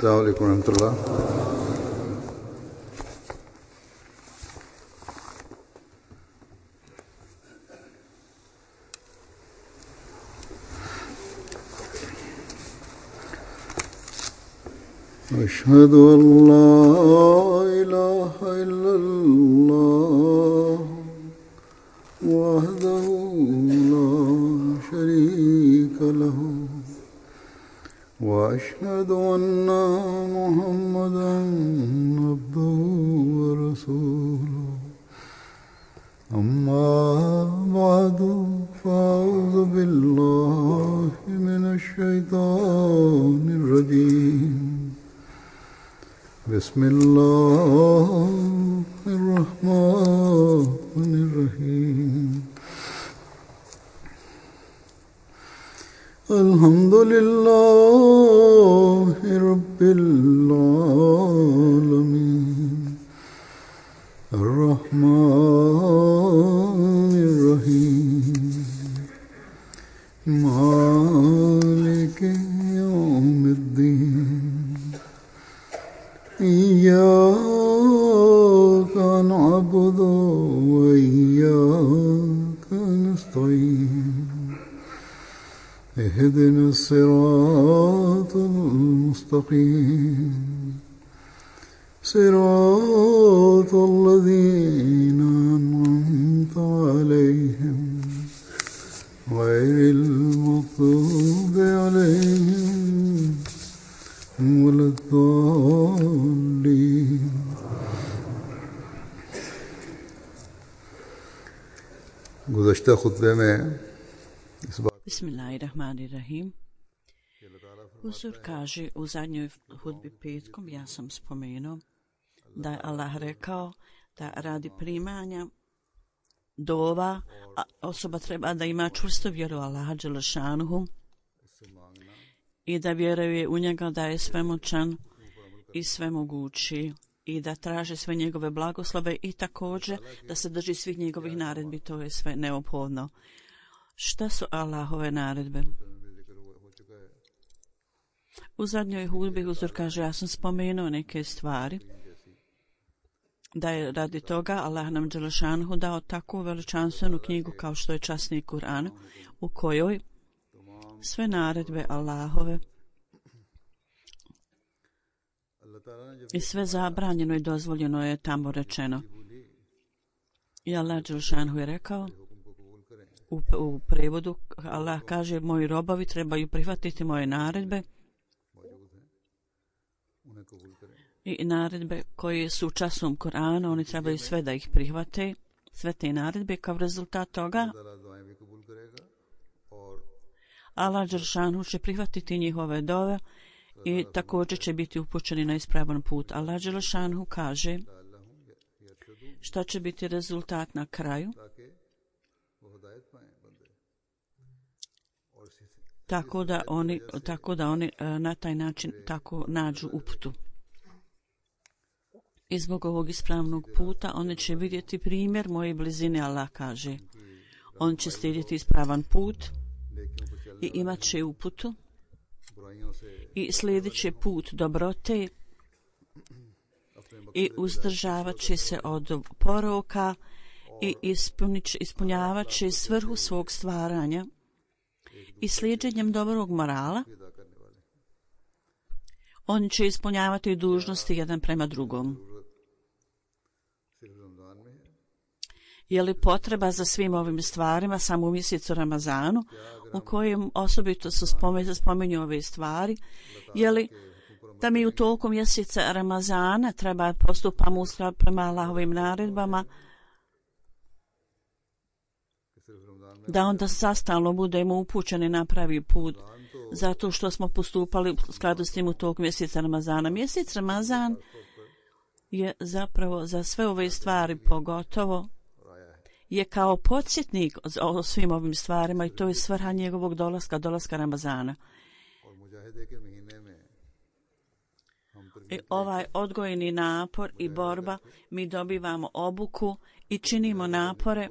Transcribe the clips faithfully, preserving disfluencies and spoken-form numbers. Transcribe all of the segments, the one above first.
السلام عليكم ورحمة الله. أشهد أن لا إله إلا الله وحده لا شريك له وأشهد أن محمدا عبده ورسوله أما بعد فأعوذ بالله من الشيطان الرجيم بسم الله الرحمن الرحيم الحمد لله رب العالمين الرحمن الرحيم مالك يوم الدين إياك نعبد وإياك نستعين اهدنا الصراط المستقيم صراط الذين أنعمت عليهم غير المغضوب عليهم ولا الضالين. गुज़श्ता खुतबे में Bismillahirrahmanirrahim. Huzur kaže u zadnjoj hudbi petkom, ja sam spomenuo da je Allah rekao da radi primanja dova osoba treba da ima čvrstu vjeru Allaha dželešanuhu i da vjeruje u njega da je svemoćan i svemogući i da traže sve njegove blagoslove i također da se drži svih njegovih naredbi, to je sve neophodno. Šta su Allahove naredbe? U zadnjoj hudbi Huzur kaže, ja sam spomenuo neke stvari, da je radi toga Allah nam dželešanuhu dao takvu veličanstvenu knjigu kao što je časni Kur'an, u kojoj sve naredbe Allahove i sve zabranjeno i dozvoljeno je tamo rečeno. I Allah dželešanuhu je rekao, u, u prevodu Allah kaže, moji robovi trebaju prihvatiti moje naredbe i naredbe koje su u časnom Koranu, oni trebaju sve da ih prihvate, sve te naredbe, kao rezultat toga Allah dželešanuhu će prihvatiti njihove dove i također će biti upućeni na ispravan put. Allah dželešanuhu kaže šta će biti rezultat na kraju, tako da oni, tako da oni na taj način tako nađu uputu. I zbog ovog ispravnog puta oni će vidjeti primjer moje blizine, Allah kaže. On će slijediti ispravan put i imat će uputu i slijedit će put dobrote i uzdržavat će se od poroka i ispunjavat će svrhu svog stvaranja i slijedženjem dobrog morala on će ispunjavati dužnosti jedan prema drugom. Je li potreba za svim ovim stvarima samo u mjesecu Ramazanu, u kojem osobito su spomenju, spomenju ove stvari, je li da mi u toku mjeseca Ramazana treba postupamo u skladu prema Allahovim naredbama, da onda sastalno budemo upućeni na pravi put, zato što smo postupali u skladu s tim u toku mjeseca Ramazana. Mjesec Ramazan je zapravo za sve ove stvari pogotovo je kao podsjetnik o svim ovim stvarima i to je svrha njegovog dolaska, dolaska Ramazana. I ovaj odgojni napor i borba, mi dobivamo obuku i činimo napore,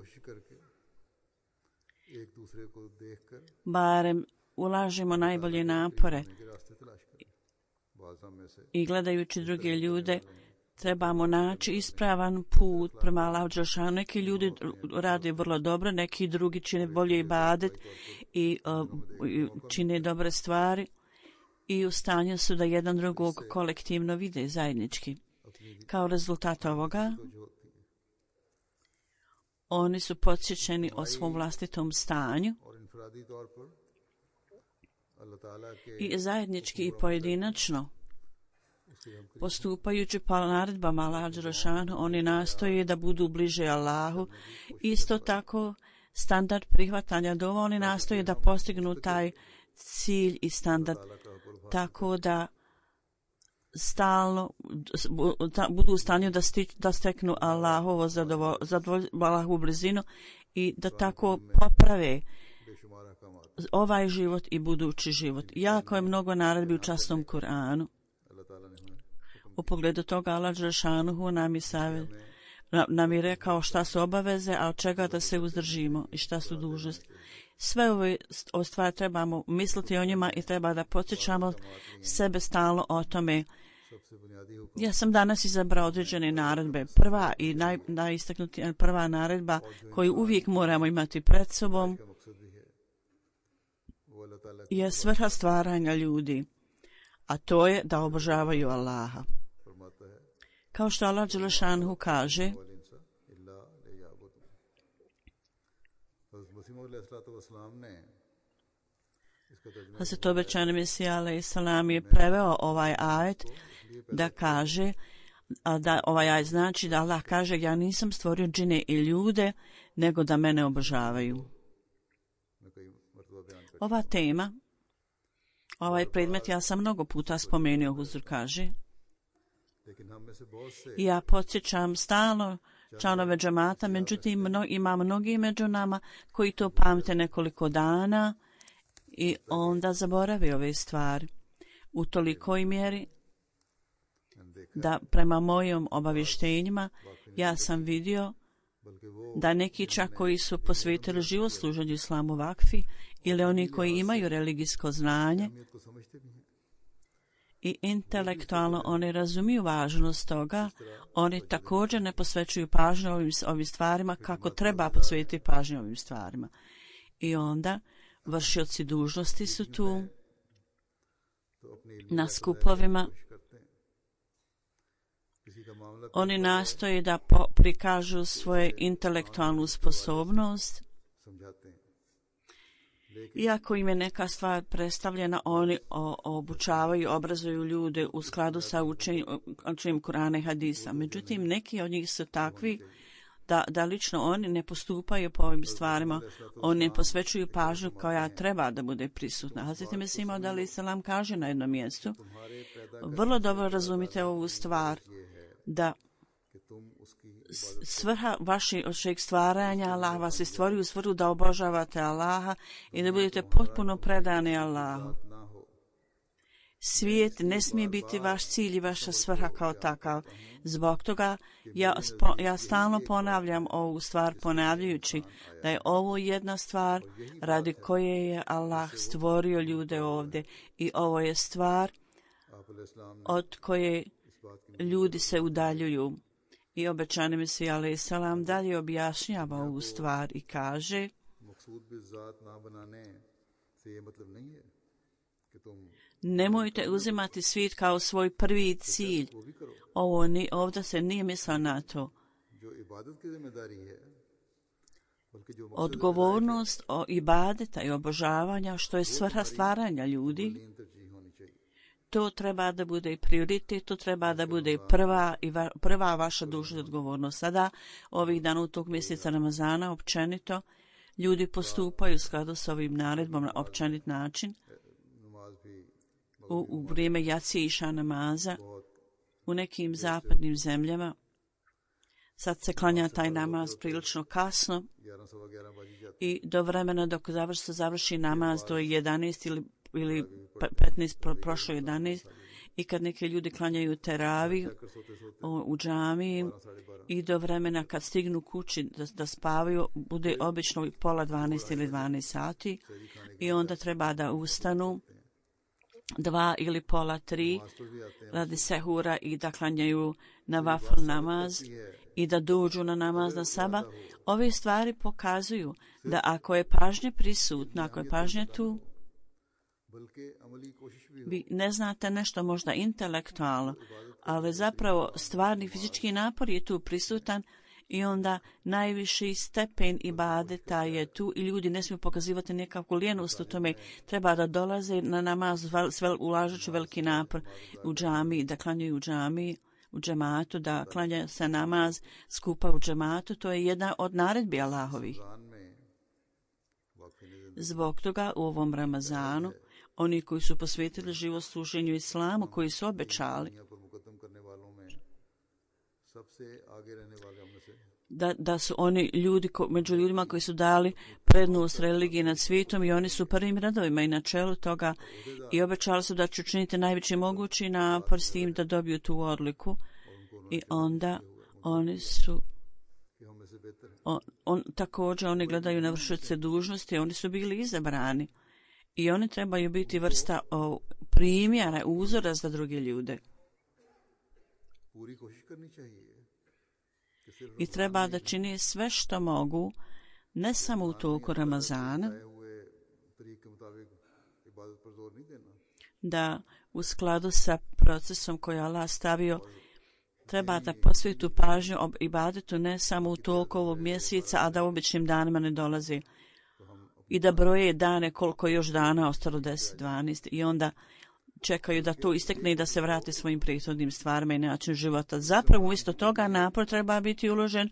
barem ulažemo najbolje napore i gledajući druge ljude trebamo naći ispravan put prema Allahu dželešanu. Neki ljudi rade vrlo dobro, neki drugi čine bolje ibadet i uh, čine dobre stvari i u stanju su da jedan drugog kolektivno vide zajednički. Kao rezultat ovoga oni su podsjećeni o svom vlastitom stanju i zajednički i pojedinačno postupajući po naredbama Allaha dželešanu, oni nastoje da budu bliže Allahu. Isto tako standard prihvatanja dova, oni nastoje da postignu taj cilj i standard tako da stalno budu u stanju da, sti, da steknu Allahovo zadovoljstvo, Allahovu blizinu i da tako poprave ovaj život i budući život. Jako je mnogo naredbi u časnom Kur'anu. U pogledu toga Allah dželešanu nam je savjet, nam je rekao šta su obaveze, a od čega da se uzdržimo i šta su dužnosti. Sve ove stvari trebamo misliti o njima i treba da podsjećamo sebe stalno o tome. Ja sam danas izabrao određene naredbe. Prva i naj, najistaknutija prva naredba koju uvijek moramo imati pred sobom je svrha stvaranja ljudi, a to je da obožavaju Allaha. Kao što Allah dželešanu kaže, Hazret obećani Mesija alejhi selam je preveo ovaj ajet da kaže, a da ovaj ajet znači da Allah kaže ja nisam stvorio džine i ljude, nego da mene obožavaju. Ova tema, ovaj predmet ja sam mnogo puta spomenuo, Huzur kaže. Ja podsjećam stalno članove džemata, međutim mno, ima mnogi među nama koji to pamte nekoliko dana i onda zaborave ove stvari. U tolikoj mjeri da prema mojim obavještenjima ja sam vidio da neki čak koji su posvetili život služenju islamu vakfi ili oni koji imaju religijsko znanje i intelektualno oni razumiju važnost toga, oni također ne posvećuju pažnju ovim, ovim stvarima kako treba posvetiti pažnju ovim stvarima. I onda vršioci dužnosti su tu na skupovima. Oni nastoje da po, prikažu svoju intelektualnu sposobnost. Iako im je neka stvar predstavljena, oni o, obučavaju, obrazuju ljude u skladu sa učenjem Kur'ana i hadisa. Međutim, neki od njih su takvi da, da lično oni ne postupaju po ovim stvarima, oni ne posvećuju pažnju koja treba da bude prisutna. Hazreti Mesih alejhi selam kaže na jednom mjestu, vrlo dobro razumite ovu stvar, da svrha vašeg stvaranja, Allah vas je stvorio u svrhu da obožavate Allaha i da budete potpuno predani Allahu. Svijet ne smije biti vaš cilj i vaša svrha kao takav. Zbog toga ja, spo, ja stalno ponavljam ovu stvar, ponavljajući da je ovo jedna stvar radi koje je Allah stvorio ljude ovdje i ovo je stvar od koje ljudi se udaljuju. I obećani Mesija alejhi selam dalje objašnjava ovu stvar i kaže: nemojte uzimati svijet kao svoj prvi cilj. Ovo ni, ovdje se nije mislilo na to. Odgovornost o ibadeta i obožavanja, što je svrha stvaranja ljudi, to treba da bude prioritet, to treba da bude prva, i va, prva vaša dužna odgovornost. Sada, ovih dana u tog mjeseca Ramazana, općenito, ljudi postupaju u skladu s ovim naredbom na općenit način. U, u vrijeme jacije iša namaza, u nekim zapadnim zemljama, sad se klanja taj namaz prilično kasno i do vremena dok završi, se završi namaz do jedanaest ili ili petnaest, pro, prošlo jedanaest, i kad neki ljudi klanjaju teravi u, u džamiji i do vremena kad stignu kući da, da spavaju, bude obično pola dvanaest ili dvanaest sati i onda treba da ustanu dva ili pola tri नमाज पर भी आते हैं, radi sehura i da klanjaju na vafl namaz i da dođu na namaz na saba. Ove stvari pokazuju da ako je pažnja prisutna, ako je pažnja tu, बल्कि अमली कोशिश भी हो। vi ne znate nešto možda intelektualno, ali zapravo stvarni fizički napor je tu prisutan i onda najviši stepen ibadeta je tu i ljudi ne smiju pokazivati nekakvu lijenost u tome. Treba da dolaze na namaz ulažući veliki napor u džami, da klanjaju u džami, u džematu, da klanja se namaz skupa u džematu. To je jedna od naredbi Allahovih. Zbog toga u ovom Ramazanu oni koji su posvetili život služenju islamu, koji su obećali da, da su oni ljudi ko, među ljudima koji su dali prednost religiji nad svijetom i oni su prvim redovima i na čelu toga i obećali su da će učiniti najveći mogući napor s tim da dobiju tu odliku i onda oni su on, on, također oni gledaju na vršioce dužnosti, oni su bili izabrani i oni trebaju biti vrsta o, primjera, uzora za druge ljude. I treba da čini sve što mogu, ne samo u toku Ramazana, da u skladu sa procesom koji je Allah stavio, treba da posvetu pažnju ob ibadetu ne samo u toku ovog mjeseca, a da u običnim danima ne dolazi. I da broje dane koliko još dana ostalo deset, dvanaest i onda čekaju da to istekne i da se vrate svojim prethodnim stvarima i način života. Zapravo umjesto toga napor treba biti uložen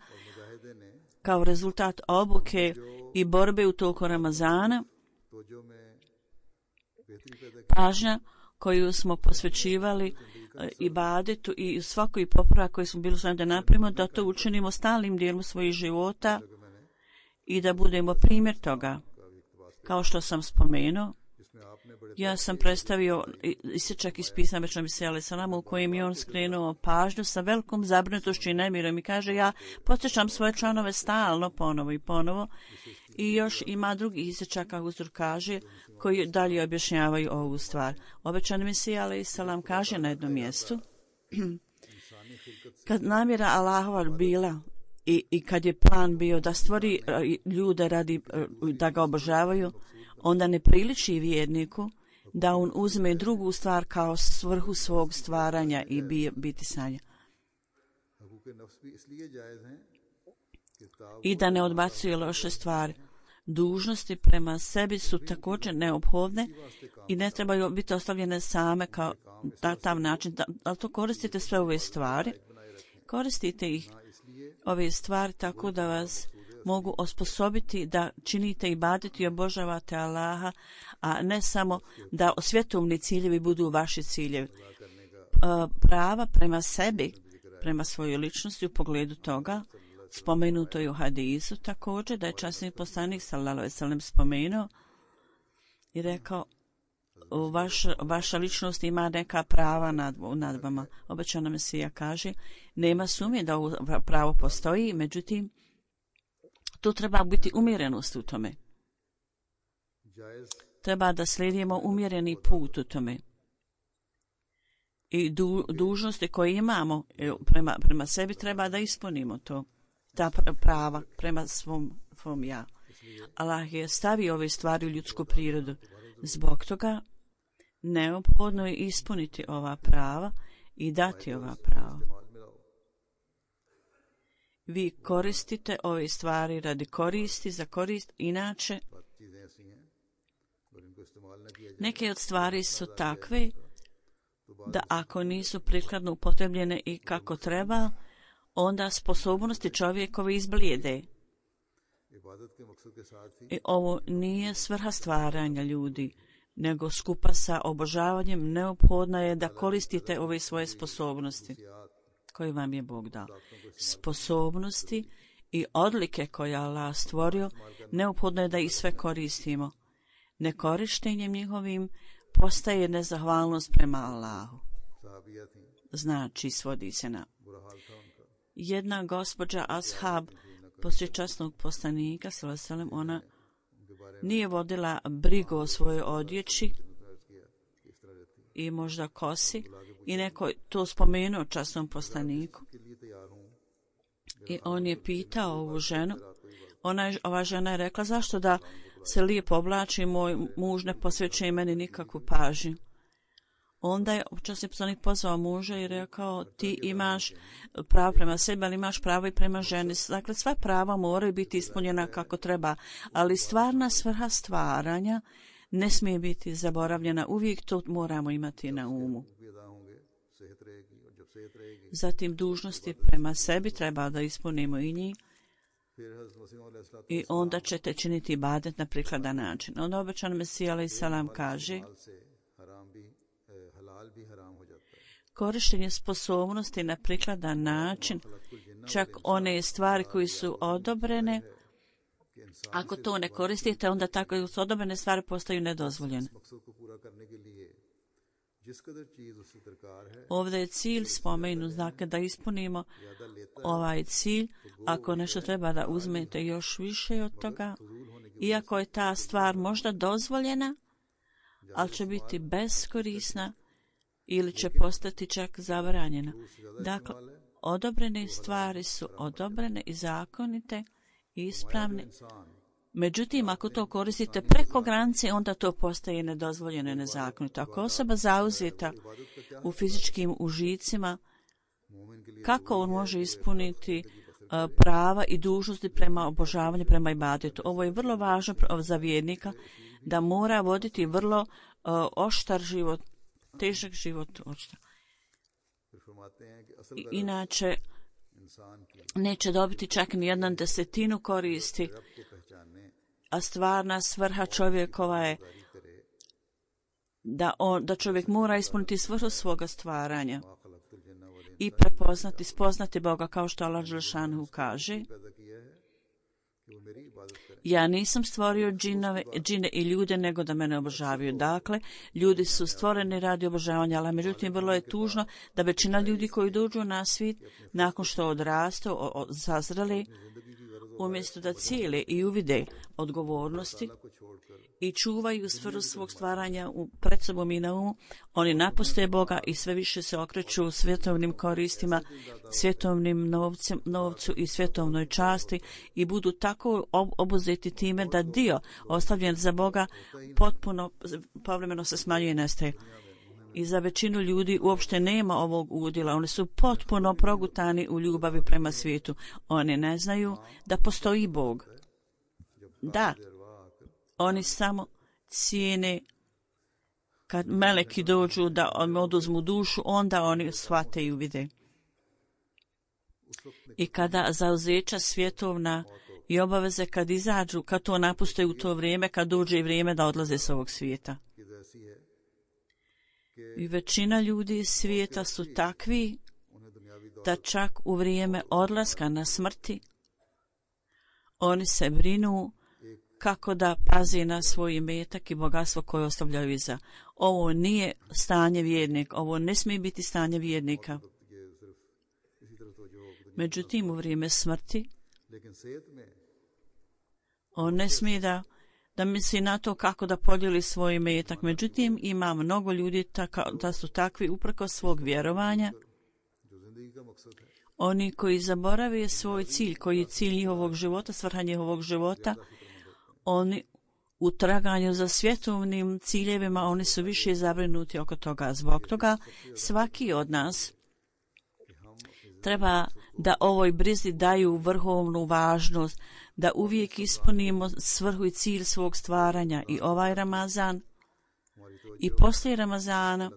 kao rezultat obuke i borbe u toku Ramazana. Pažnja koju smo posvećivali ibadetu i svakoj popravak koji smo bili svojim da napravimo, da to učinimo stalnim dijelom svojih života i da budemo primjer toga. Kao što sam spomenuo, ja sam predstavio isječak iz pisma Beča Misija alaih selam u kojem je on skrenuo pažnju sa velikom zabrinutošću i nemirom i kaže ja podsjećam svoje članove stalno ponovo i ponovo i još ima drugi isječak kako Huzur kaže koji dalje objašnjavaju ovu stvar. Obećani Mesija alaih selam kaže na jednom mjestu kad namjera Allahova bila i, i kad je plan bio da stvori ljude radi da ga obožavaju, onda ne priliči vjerniku da on uzme drugu stvar kao svrhu svog stvaranja i bi, biti sanja. I da ne odbacuje loše stvari. Dužnosti prema sebi su također neophodne i ne trebaju biti ostavljene same kao na tav način. Da, ali to koristite sve ove stvari. Koristite ih ove stvari tako da vas mogu osposobiti da činite ibadet i obožavate Allaha, a ne samo da svjetovni ciljevi budu vaši ciljevi. Prava prema sebi, prema svojoj ličnosti u pogledu toga, spomenuto je u hadisu također da je časni poslanik sallallahu alejhi ve sellem spomenuo i rekao vaš, vaša ličnost ima neka prava nad, nad vama. Obećana Mesija kaže nema sumnje da ovo pravo postoji, međutim tu treba biti umjerenost u tome. Treba da slijedimo umjereni put u tome. I du, dužnosti koje imamo prema, prema sebi treba da ispunimo to. Ta prava prema svom, svom ja. Allah je stavio ove stvari u ljudsku prirodu. Zbog toga neophodno je ispuniti ova prava i dati ova prava. Vi koristite ove stvari radi koristi, za korist, inače neke od stvari su takve da ako nisu prikladno upotrebljene i kako treba, onda sposobnosti čovjekove izblijede. I ovo nije svrha stvaranja ljudi, nego skupa sa obožavanjem neophodno je da koristite ove svoje sposobnosti koje vam je Bog dao. Sposobnosti i odlike koje Allah stvorio, neophodno je da ih sve koristimo. Nekorištenjem njihovim postaje nezahvalnost prema Allahu. Znači, svodi se na jedna gospođa ashab poslije časnog poslanika, sallallahu alejhi ve sellem, ona nije vodila brigu o svojoj odjeći i možda kosi i neko je to spomenuo časnom poslaniku i on je pitao ovu ženu, ona je, ova žena je rekla zašto da se lijepo oblači, moj muž ne posvećuje meni nikakvu pažnju. Onda je časni poslanik pozvao muža i rekao ti imaš pravo prema sebi, ali imaš pravo i prema ženi. Dakle, sva prava moraju biti ispunjena kako treba, ali stvarna svrha stvaranja ne smije biti zaboravljena. Uvijek to moramo imati na umu. Zatim dužnosti prema sebi treba da ispunimo i njih. I onda ćete činiti ibadet na prikladan način. Onda obećan Mesija alejhi selam kaže korištenje sposobnosti na prikladan način, čak one stvari koje su odobrene, ako to ne koristite, onda tako su odobrene stvari postaju nedozvoljene. Ovdje je cilj spomenut, dakle da ispunimo ovaj cilj. Ako nešto treba da uzmete još više od toga, iako je ta stvar možda dozvoljena, ali će biti beskorisna ili će postati čak zabranjena. Dakle, odobrene stvari su odobrene i zakonite i ispravne. Međutim, ako to koristite preko granice, onda to postaje nedozvoljeno i nezakonito. Ako osoba zauzeta u fizičkim užicima, kako on može ispuniti uh, prava i dužnosti prema obožavanju, prema ibadetu? Ovo je vrlo važno za vjernika, da mora voditi vrlo uh, oštar život, težak život. Oštar. I, inače, neće dobiti čak ni jedan desetinu koristi, a stvarna svrha čovjekova je da, on, da čovjek mora ispuniti svrhu svoga stvaranja i prepoznati, spoznati Boga, kao što Allah dželešanu kaže. Ja nisam stvorio džinove, džine i ljude, nego da mene obožavaju. Dakle, ljudi su stvoreni radi obožavanja, ali međutim vrlo je tužno da većina ljudi koji dođu na svijet, nakon što odrastu, sazreli, umjesto da cijele i uvide odgovornosti i čuvaju svrhu svog stvaranja u pred sobom i na umu, oni napuste Boga i sve više se okreću svjetovnim koristima, svjetovnim novcem, novcu i svjetovnoj časti i budu tako obuzeti time da dio ostavljen za Boga potpuno povremeno se smanjuje i nestaje. I za većinu ljudi uopšte nema ovog udjela. Oni su potpuno progutani u ljubavi prema svijetu. Oni ne znaju da postoji Bog. Da, oni samo cijene kad meleki dođu da oduzmu dušu, onda oni shvate i uvide. I kada zauzeća svjetovna i obaveze kad izađu, kad to napuste u to vrijeme, kad dođe i vrijeme da odlaze s ovog svijeta. I većina ljudi iz svijeta su takvi da čak u vrijeme odlaska na smrti oni se brinu kako da pazi na svoj imetak i bogatstvo koje ostavljaju iza. Ovo nije stanje vjernika, ovo ne smije biti stanje vjernika. Međutim, u vrijeme smrti on ne smije da da misli na to kako da podijeli svoj imetak. Međutim, ima mnogo ljudi taka, da su takvi uprkos svog vjerovanja. Oni koji zaborave svoj cilj, koji je cilj njihovog života, svrha njihovog života, oni u traganju za svjetovnim ciljevima, oni su više zabrinuti oko toga. Zbog toga svaki od nas treba da ovoj brizi daju vrhovnu važnost, da uvijek ispunimo svrhu i cilj svog stvaranja. I ovaj Ramazan i poslije Ramazana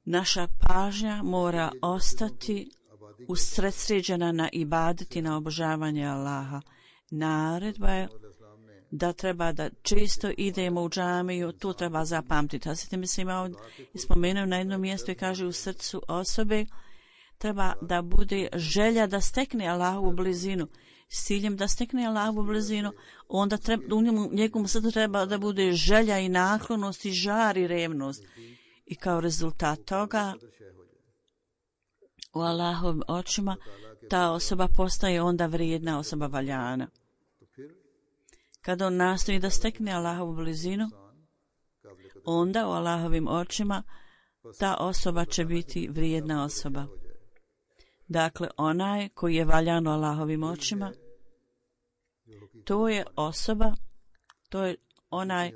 naša pažnja mora ostati usredsređena na ibadet i na obožavanje Allaha. Naredba je da treba da često idemo u džamiju, to treba zapamtiti. A sveti mislim ovdje spomenuo na jednom mjestu i kaže u srcu osobe treba da bude želja da stekne Allahovu blizinu. S ciljem da stekne Allahovu blizinu, onda treba, u njemu, njegovom srcu treba da bude želja i naklonost i žar i revnost. I kao rezultat toga u Allahovim očima ta osoba postaje onda vrijedna osoba, valjana. Kada on nastoji da stekne Allahovu blizinu, onda u Allahovim očima ta osoba će biti vrijedna osoba. Dakle, onaj koji je valjan u Allahovim očima, to je osoba, to je onaj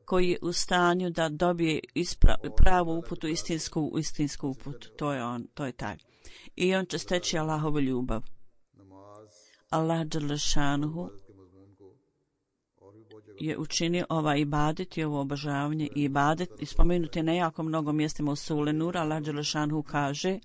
koji je u stanju da dobije ispra, pravu uputu, istinsku, istinsku uputu. To je on, to je taj. I on će steći Allahovu ljubav. Allah dželešanuhu je učinio ovaj ibadet i ovo obožavanje i ibadet i spomenuti na jako mnogo mjestima u Sure Nur. Allah dželešanuhu kaže: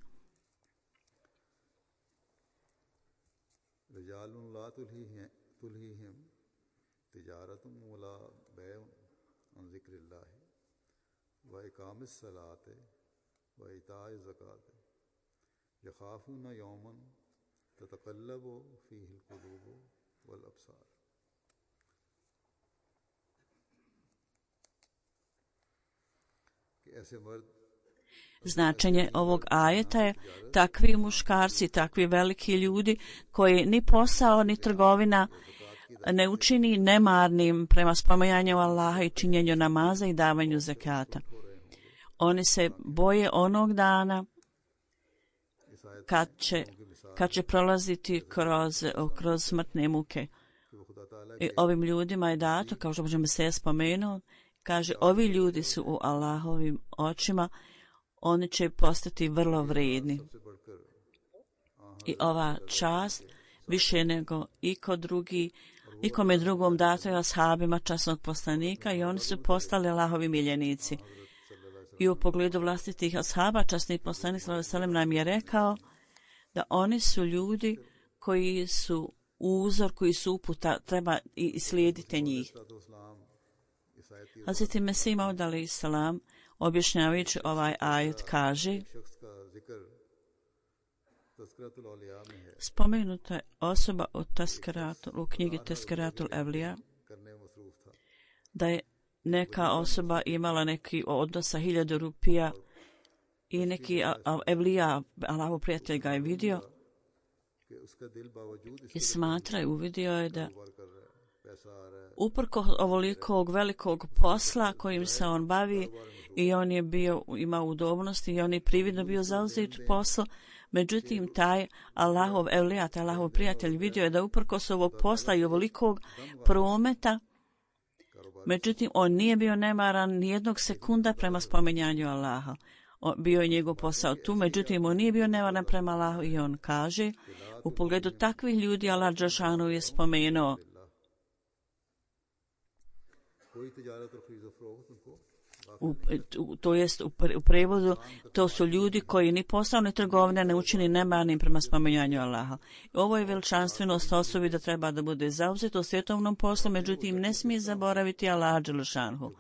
Značenje ovog ajeta je takvi muškarci, takvi veliki ljudi koji ni posao ni trgovina ne učini nemarnim prema spominjanju Allaha i činjenju namaza i davanju zekata. Oni se boje onog dana kad će, kad će prolaziti kroz, kroz smrtne muke. I ovim ljudima je dato, kao što možemo se spomenuo, kaže, ovi ljudi su u Allahovim očima, oni će postati vrlo vrijedni. I ova čast više nego iko drugi, ikome drugom dato je ashabima časnog poslanika i oni su postali Allahovi miljenici. I u pogledu vlastitih ashaba časni poslanik sallallahu alejhi ve sellem nam je rekao da oni su ljudi koji su uzor, koji su uputa, treba i slijedite njih. Hazreti Mesih Maud alejhi selam objašnjavajući ovaj ajet kaže: spomenuta je osoba od Teskeratul, u knjigi Teskeratul Evlija, da je neka osoba imala neki odnos sa hiljadu rupija i neki Evlija, Allahov prijatelj ga je vidio i smatra i uvidio je da uprko ovolikog velikog posla kojim se on bavi i on je bio, imao udobnosti i on je prividno bio zauzet posao, međutim taj Allahov Evlija, taj Allahov prijatelj vidio je da uprkos ovog posla i ovolikog prometa, međutim on nije bio nemaran nijednog sekunda prema spominjanju Allaha. On, bio je njegov posao tu, međutim on nije bio nemaran prema Allahu i on kaže, u pogledu takvih ljudi Allah dželešanu je spomenuo: U, u, to jest u, pre, u prevodu, to su ljudi koji ni poslovne trgovine ne učini nemarnim prema spominjanju Allaha. Ovo je veličanstvenost osobi da treba da bude zauzet u svjetovnom poslu, međutim ne smije zaboraviti Allaha dželešanhu.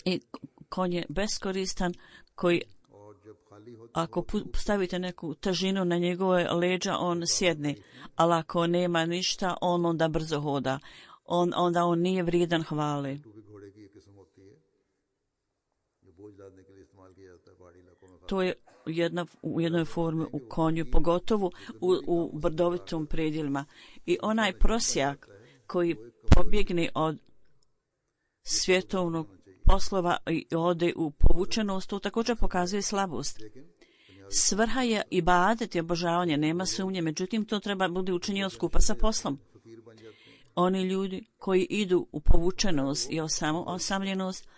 I konj je beskoristan koji ako stavite neku težinu na njegove leđa, on sjedne, ali ako nema ništa, on onda brzo hoda. On, onda on nije vrijedan hvale. To je jedna, u jednoj formi u konju, pogotovo u, u brdovitom predjelima. I onaj prosjak koji pobjegne od svjetovnog poslova i ode u povučenost, to također pokazuje slabost. Svrha je ibadet i obožavanje, nema sumnje, međutim to treba bude učinjeno skupa sa poslom. Oni ljudi koji idu u povučenost i osam, osamljenost,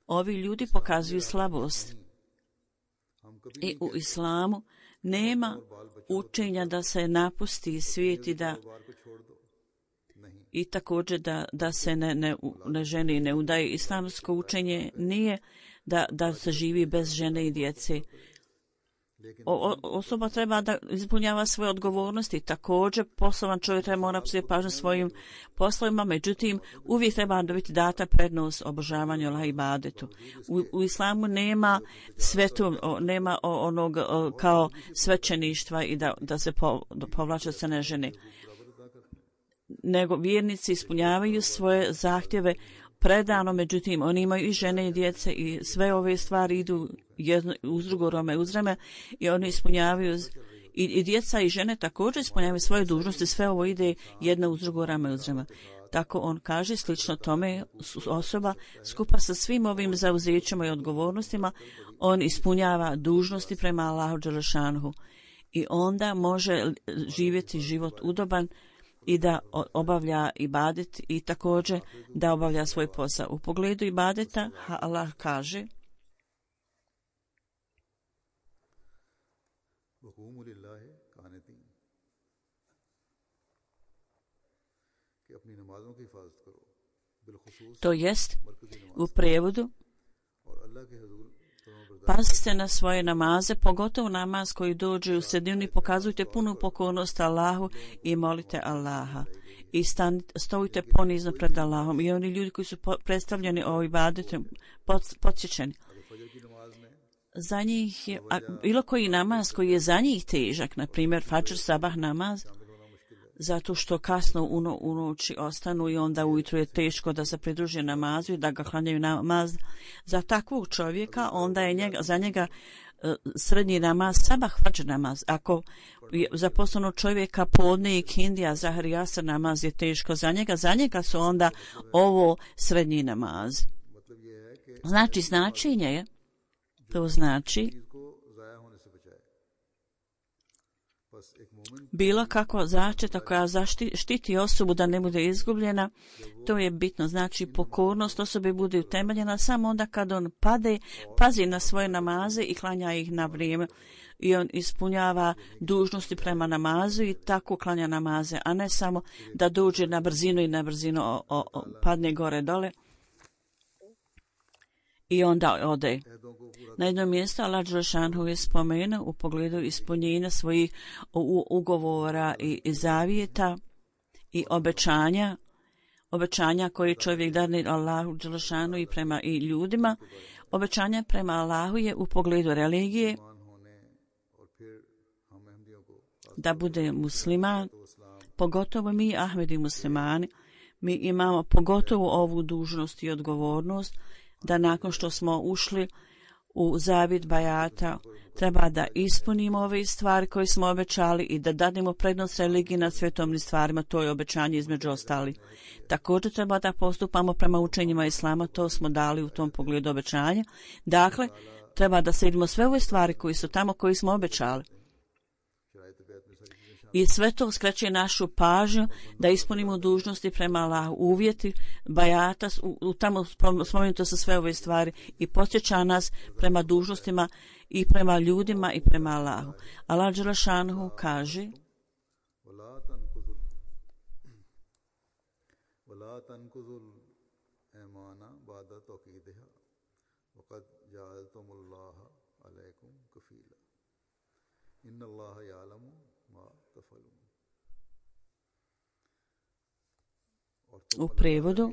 ovi ljudi pokazuju slabost. I u islamu nema učenja da se napusti svijet i da i također da, da se ne, ne, ne žene i ne udaje. Islamsko učenje nije da, da se živi bez žene i djece. O, o, osoba treba da ispunjava svoje odgovornosti. Također poslovan čovjek treba mora posvetiti pažnju svojim poslovima, međutim uvijek treba dobiti data prednost obožavanju Allaha i ibadetu. U, u islamu nema svetu, nema onog kao svećeništva i da, da se po, povlače se ne žene. Nego vjernici ispunjavaju svoje zahtjeve predano, međutim oni imaju i žene i djece i sve ove stvari idu jedno, uz drugo rame uz rame i oni ispunjavaju i, i djeca i žene također ispunjavaju svoje dužnosti, sve ovo ide jedno uz drugo rame uz rame. Tako on kaže, slično tome osoba skupa sa svim ovim zauzećima i odgovornostima, on ispunjava dužnosti prema Allahu dželešanhu i onda može živjeti život udoban i da obavlja ibadet i također da obavlja svoj posao. U pogledu ibadeta Allah kaže: to jest u prijevodu, pazite na svoje namaze, pogotovo namaz koji dođe u sredinu i pokazujte punu pokornost Allahu i molite Allaha. I stanite, stojite ponizno pred Allahom. I oni ljudi koji su predstavljeni o ibadetu, podsjećeni. Za njih je, a, bilo koji namaz koji je za njih težak, na primjer fadžr, sabah namaz, zato što kasno u, no, u noći ostanu i onda ujutro je teško da se pridruže namazu i da ga klanjaju namaz. Za takvog čovjeka onda je njega, za njega uh, srednji namaz sabah, fadžr namaz. Ako je za poslovnog čovjeka podne i kindija, zahar i asr namaz je teško za njega, za njega su onda ovo srednji namaz. Znači, značenje je, to znači bilo kako zaštita koja zaštiti osobu da ne bude izgubljena, to je bitno. Znači, pokornost osobe bude utemeljena samo onda kad on pade, pazi na svoje namaze i klanja ih na vrijeme. I on ispunjava dužnosti prema namazu i tako klanja namaze, a ne samo da dođe na brzinu i na brzinu o, o, o, padne gore dole i onda ode. Na jednom mjestu Allah dželešanhu je spomenuo u pogledu ispunjenja svojih ugovora i, i zavjeta i obećanja, obećanja koje čovjek dane Allahu dželešanhu i prema i ljudima. Obećanja prema Allahu je u pogledu religije da bude musliman, pogotovo mi Ahmedi muslimani, mi imamo pogotovo ovu dužnost i odgovornost da nakon što smo ušli u zavjet bajata treba da ispunimo ove stvari koje smo obećali i da dademo prednost religiji nad svjetovnim stvarima, to je obećanje između ostali. Također treba da postupamo prema učenjima Islama, to smo dali u tom pogledu obećanja. Dakle, treba da slijedimo sve ove stvari koji su tamo koji smo obećali. I sve to skreće našu pažnju da ispunimo dužnosti prema Allahu, uvjeti bajata, u, u tamo spomenuto su sve ove stvari i podsjeća nas prema dužnostima i prema ljudima i prema Allahu. Allah dželešanhu kaže: u prevodu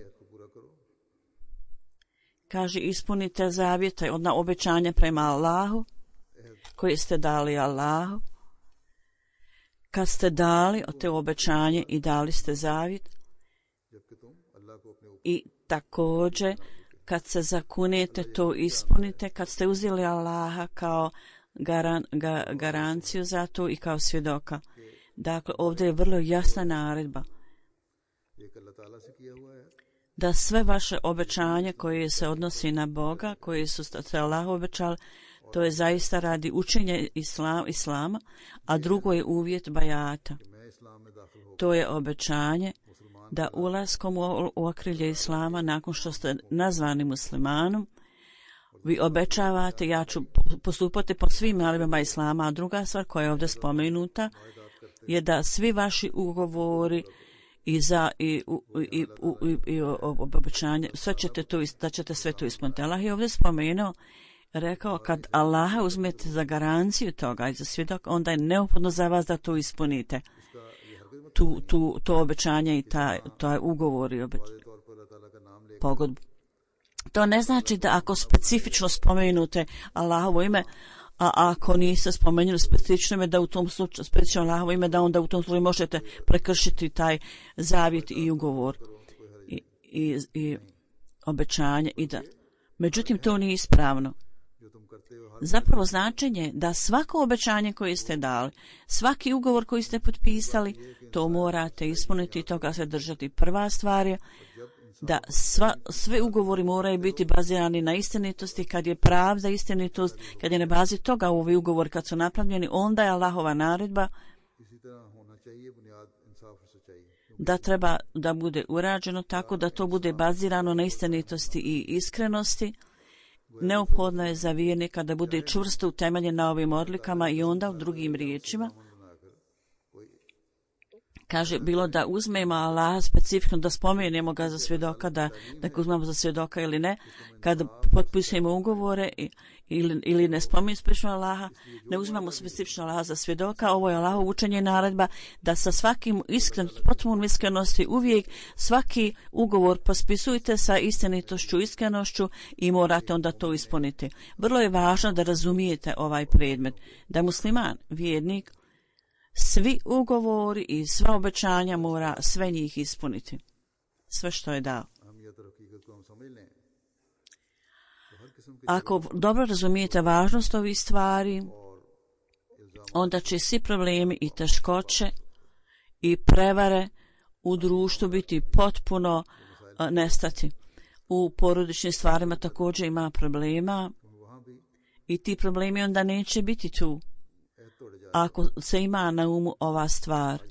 kaže: ispunite zavjete, odna obećanja prema Allahu koje ste dali Allahu. Kad ste dali te obećanje i dali ste zavjet i također kad se zakunete to ispunite, kad ste uzeli Allaha kao garan, ga, garanciju za to i kao svjedoka. Dakle, ovdje je vrlo jasna naredba da sve vaše obećanje koje se odnosi na Boga, koje su se Allahu obećali, to je zaista radi učenja islam, Islama, a drugo je uvjet bajata. To je obećanje da ulaskom u, u okrilje Islama, nakon što ste nazvani muslimanom, vi obećavate, ja ću postupati po svim nalibama Islama, a druga stvar koja je ovdje spomenuta je da svi vaši ugovori i za i i i, i obećanje, sve ćete to, da ćete sve to ispuniti. Allah je ovdje spomenuo, rekao, kad Allaha uzmete za garanciju toga i za svjedok, onda je neophodno za vas da to ispunite. Tu, tu, to obećanje i taj, taj ugovor i obećanje. Pogodbu. To ne znači da ako specifično spomenute Allahovo ime, a ako niste spomenuli specifično ime, da u tom slučaju, specifično Allahovo ime, da onda u tom slučaju možete prekršiti taj zavjet i ugovor i, i, i obećanje. I da. Međutim, to nije ispravno. Zapravo značenje da svako obećanje koje ste dali, svaki ugovor koji ste potpisali, to morate ispuniti i toga se držati. Prva stvar je da sva, sve ugovori moraju biti bazirani na istinitosti. Kad je pravda istinitost, kad je na bazi toga ovi ugovori kad su napravljeni, onda je Allahova naredba da treba da bude urađeno tako da to bude bazirano na istinitosti i iskrenosti. Neophodno je za vjernika da bude čvrsto utemeljen na ovim odlikama i onda u drugim riječima kaže bilo da uzmemo Allaha specifično, da spomenemo ga za svjedoka, da, da ga uzmemo za svjedoka ili ne, kad potpisujemo ugovore ili, ili ne spomenemo specifično Allaha, ne uzmemo specifično Allaha za svjedoka. Ovo je Allahov učenje i naredba da sa svakim iskren, potpunom iskrenosti uvijek svaki ugovor pospisujte sa istinitošću, iskrenošću i morate onda to ispuniti. Vrlo je važno da razumijete ovaj predmet, da musliman, vjernik, svi ugovori i sva obećanja mora sve njih ispuniti. Sve što je dao. Ako dobro razumijete važnost ovih stvari, onda će svi problemi i teškoće i prevare u društvu biti potpuno a, nestati. U porodičnim stvarima također ima problema i ti problemi onda neće biti tu. Ako se ima na umu ova stvar,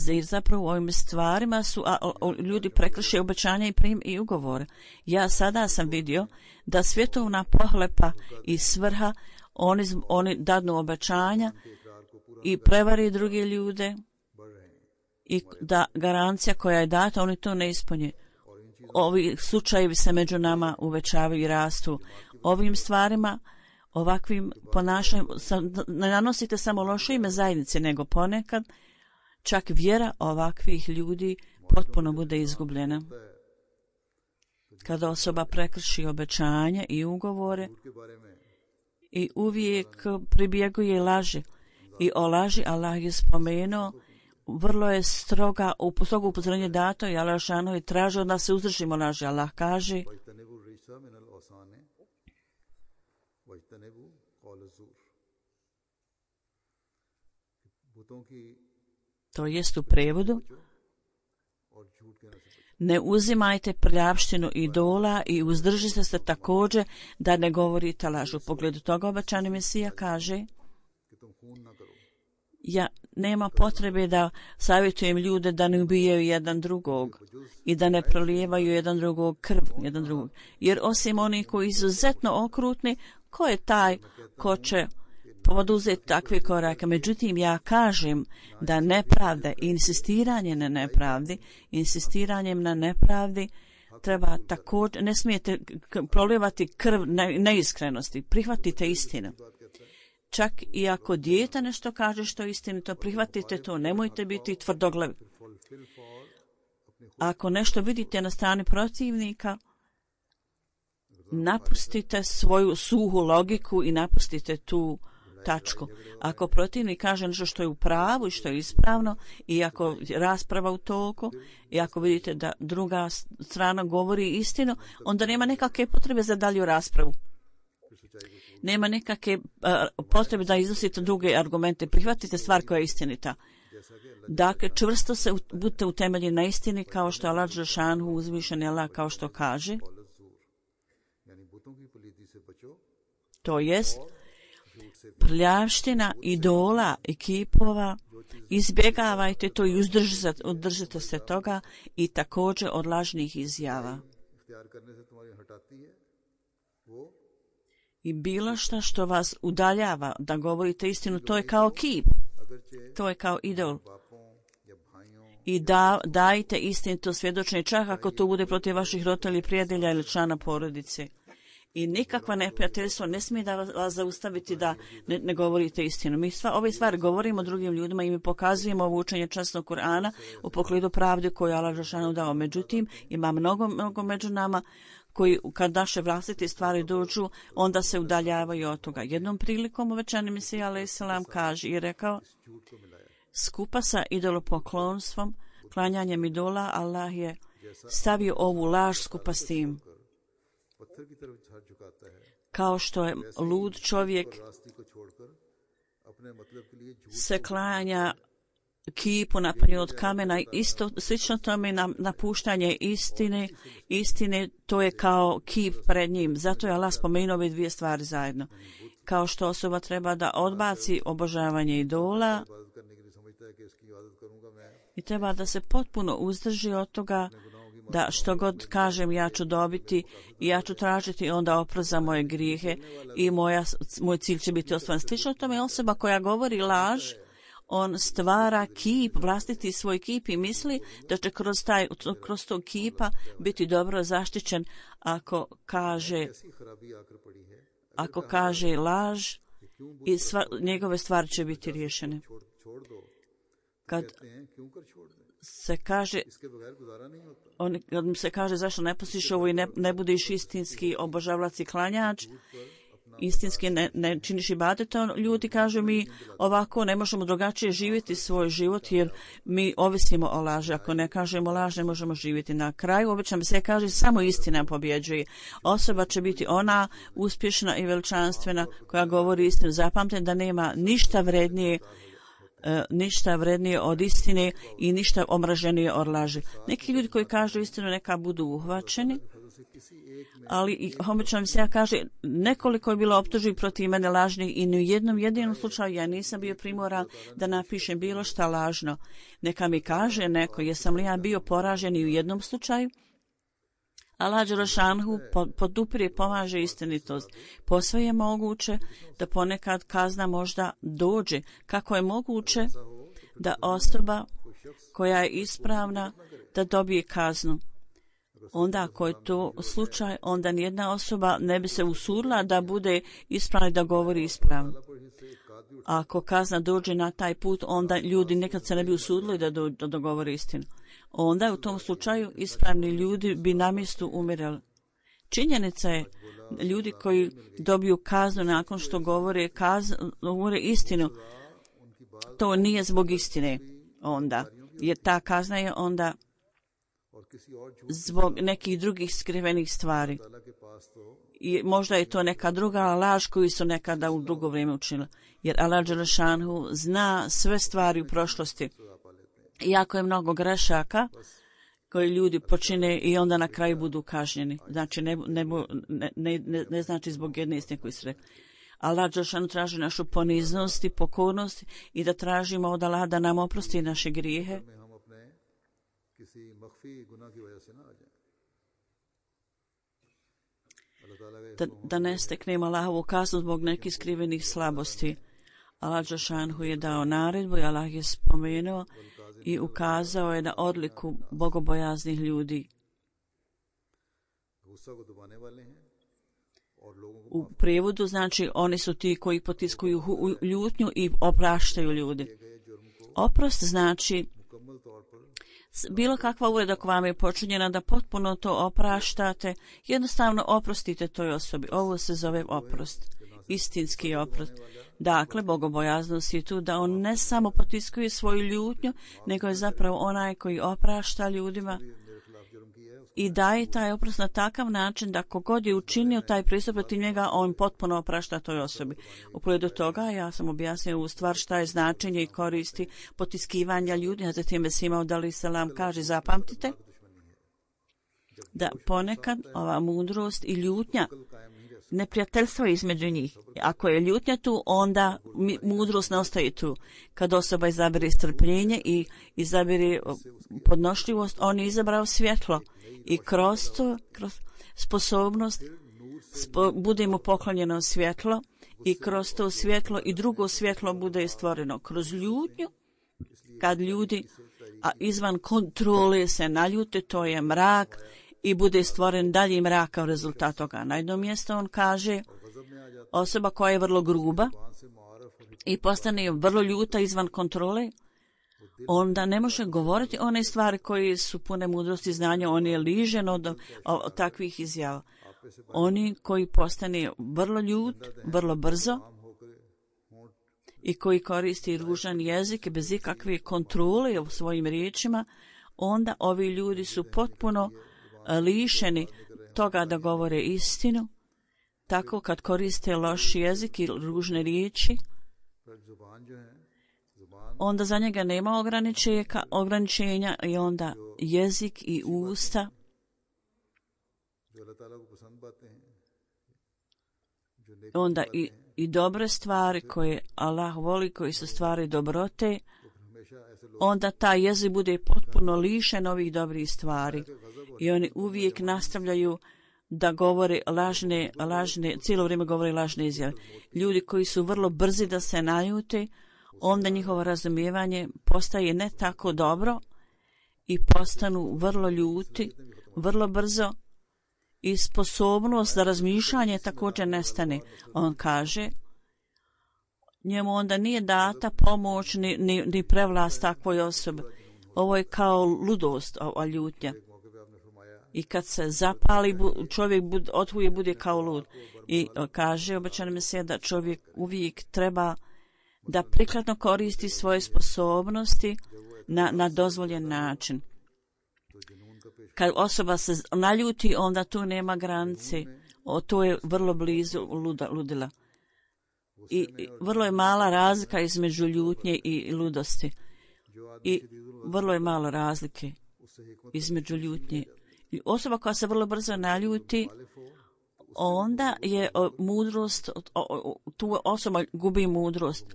jer zapravo u ovim stvarima su a, a, ljudi prekrše obećanja i, prim, i ugovore. Ja sada sam vidio da svjetovna pohlepa i svrha, oni, oni dadnu obećanja i prevari druge ljude i da garancija koja je data, oni to ne ispunje. Ovi slučajevi se među nama uvećavaju i rastu. Ovim stvarima, ovakvim ponašanjem ne nanosite samo loše ime zajednice, nego ponekad čak vjera ovakvih ljudi potpuno bude izgubljena. Kada osoba prekrši obećanja i ugovore i uvijek pribjeguje laži i o laži Allah je spomenuo, vrlo je stroga, strogo upozorenje dato i Allah šanovi traži od nas se uzdržimo laži. Allah kaže to jest u prevodu ne uzimajte prljavštinu idola i uzdržite se također da ne govorite lažu. U pogledu toga obećani Mesija kaže ja nema potrebe da savjetujem ljude da ne ubijaju jedan drugog i da ne prolijevaju jedan drugog krv, jedan drugog. Jer osim onih koji su izuzetno okrutni, ko je taj ko će poduzeti takve korake? Međutim, ja kažem da nepravda i insistiranje na nepravdi, insistiranjem na nepravdi treba također, ne smijete prolijevati krv neiskrenosti, prihvatite istinu. Čak i ako dijete nešto kaže što je istinito, prihvatite to, nemojte biti tvrdoglavi. Ako nešto vidite na strani protivnika, napustite svoju suhu logiku i napustite tu tačku. Ako protivnik kaže nešto što je u pravu i što je ispravno i ako rasprava u toku i ako vidite da druga strana govori istinu, onda nema nekakve potrebe za dalju raspravu. Nema nekakve uh, potrebe da iznosite druge argumente. Prihvatite stvar koja je istinita. Dakle, čvrsto se budite utemeljeni na istini kao što Allah dželešanu uzvišeni Allah kao što kaže. To jest prljavština idola i kipova, izbjegavajte to i uzdržite se toga i također od lažnih izjava. I bilo što što vas udaljava da govorite istinu, to je kao kip, to je kao idol. I da, dajte istinito svjedočenje, čak ako to bude protiv vaših roditelja, prijatelja ili člana porodice. I nikakva neprijateljstvo ne smije da vas zaustaviti da ne, ne govorite istinu. Mi sva, ove stvari govorimo drugim ljudima i mi pokazujemo ovo učenje časnog Kur'ana u pogledu pravde koju Allah dželešanu dao. Međutim, ima mnogo, mnogo među nama koji kad naše vlastite stvari dođu, onda se udaljavaju od toga. Jednom prilikom uvećani Mesija alejselam kaže i rekao, skupa sa idolopoklonstvom, klanjanjem idola, Allah je stavio ovu laž skupa s tim. kao što je lud čovjek se klanja kipu napravljen od kamena, isto slično tome na, napuštanje istine, istine, to je kao kip pred njim. Zato je Allah spomenuo ove dvije stvari zajedno. Kao što osoba treba da odbaci obožavanje idola i treba da se potpuno uzdrži od toga da što god kažem ja ću dobiti i ja ću tražiti onda oprost za moje grijehe i moja, moj cilj će biti ostvaren. Slično tome je osoba koja govori laž, on stvara kip, vlastiti svoj kip i misli da će kroz, taj, kroz tog kipa biti dobro zaštićen ako kaže, ako kaže laž i sva, njegove stvari će biti riješene. Kad se kaže, on, kad mi se kaže zašto ne postiš ovo i ne, ne budiš istinski obožavalac i klanjač, istinski ne, ne činiš ibadet, ljudi kažu mi ovako ne možemo drugačije živjeti svoj život jer mi ovisimo o laži. Ako ne kažemo laž ne možemo živjeti. Na kraju obično se kaže samo istina pobjeđuje. Osoba će biti ona uspješna i veličanstvena koja govori istinu. Zapamtite da nema ništa vrednije Uh, ništa vrednije od istine i ništa omraženije od laži. Neki ljudi koji kažu istinu neka budu uhvaćeni, ali obično se ja kaže nekoliko je bilo optužbi protiv mene lažnih i ni u jednom jedinom slučaju ja nisam bio primoran da napišem bilo šta lažno. Neka mi kaže neko jesam li ja bio poražen i u jednom slučaju. Allah Đelešanhu podupire, pomaže istinitost. Posve je moguće da ponekad kazna možda dođe. Kako je moguće da osoba koja je ispravna da dobije kaznu? Onda ako je to slučaj, onda nijedna osoba ne bi se usudila da bude ispravna i da govori ispravno. A ako kazna dođe na taj put, onda ljudi nekad se ne bi usudili da, do, da dogovore istinu. Onda u tom slučaju ispravni ljudi bi na mjestu umirali. Činjenica je ljudi koji dobiju kaznu nakon što govore, kaz, govore istinu, to nije zbog istine onda, jer ta kazna je onda zbog nekih drugih skrivenih stvari. I možda je to neka druga laž koju su nekada u drugo vrijeme učinili. Jer Allah Đelešanhu zna sve stvari u prošlosti. Iako je mnogo grešaka koji ljudi počine i onda na kraju budu kažnjeni. Znači ne, ne, ne, ne, ne znači zbog jedne istine koju su rekli. Allah Đelešanhu traži našu poniznost i pokornost i da tražimo od Allah da nam oprosti naše grijehe. Da, da ne steknemo Allahovu kaznu zbog nekih skrivenih slabosti. Allah Đelešanhu je dao naredbu i Allah je spomenuo i ukazao je na odliku bogobojaznih ljudi. U prijevodu znači oni su ti koji potiskuju ljutnju i opraštaju ljudi. Oprost znači bilo kakva uvreda koja vam je počinjena da potpuno to opraštate, jednostavno oprostite toj osobi. Ovo se zove oprost, istinski oprost. Dakle, bogobojaznost je tu da on ne samo potiskuje svoju ljutnju, nego je zapravo onaj koji oprašta ljudima i daje taj oprost na takav način da kogod je učinio taj pristup protiv njega, on potpuno oprašta toj osobi. U pogledu toga ja sam objasnio u stvar šta je značenje i koristi potiskivanja ljudi, a zatim je Sima udali selam kaže, zapamtite da ponekad ova mudrost i ljutnja, neprijateljstvo između njih. Ako je ljutnja tu, onda mudrost ne ostaje tu. Kad osoba izabere strpljenje i izabere podnošljivost, on je izabrao svjetlo. I kroz to, kroz sposobnost, spo, bude mu poklonjeno svjetlo i kroz to svjetlo i drugo svjetlo bude stvoreno. Kroz ljutnju, kad ljudi a izvan kontrole se naljute, to je mrak i bude stvoren dalji mrak kao rezultat toga. Na jednom mjestu on kaže, osoba koja je vrlo gruba i postane vrlo ljuta izvan kontrole, onda ne može govoriti one stvari koje su pune mudrosti i znanja, on je ližen od, od, od takvih izjava. Oni koji postane vrlo ljut, vrlo brzo i koji koristi ružan jezik bez ikakve kontrole u svojim riječima, onda ovi ljudi su potpuno lišeni toga da govore istinu, tako kad koriste loš jezik i ružne riječi, पर जुबान जो है जुबान onda za njega nema ograničenja, ograničenja i onda jezik i usta जो अल्लाह ताला को पसंद पाते हैं जो नेक onda i, i dobre stvari koje Allah voli, koji su stvari dobrote, हमेशा ऐसे लोग onda taj jezik bude potpuno lišen ovih dobrih stvari i oni uvijek nastavljaju da govore lažne, lažne, cijelo vrijeme govore lažne izjave. Ljudi koji su vrlo brzi da se naljute, onda njihovo razumijevanje postaje ne tako dobro i postanu vrlo ljuti, vrlo brzo i sposobnost za razmišljanje također nestane. On kaže, njemu onda nije data pomoć ni, ni, ni prevlast takvoj osobi. Ovo je kao ludost, ova ljutnja. I kad se zapali, čovjek bud, otvuje bude kao lud. I kaže obećani Mesija da čovjek uvijek treba da prikladno koristi svoje sposobnosti na, na dozvoljen način. Kad osoba se naljuti, onda tu nema granice. O, to je vrlo blizu luda, ludila. I, I vrlo je mala razlika između ljutnje i ludosti. I vrlo je malo razlike između ljutnje. I osoba koja se vrlo brzo naljuti, onda je o, mudrost, o, o, tu osoba gubi mudrost.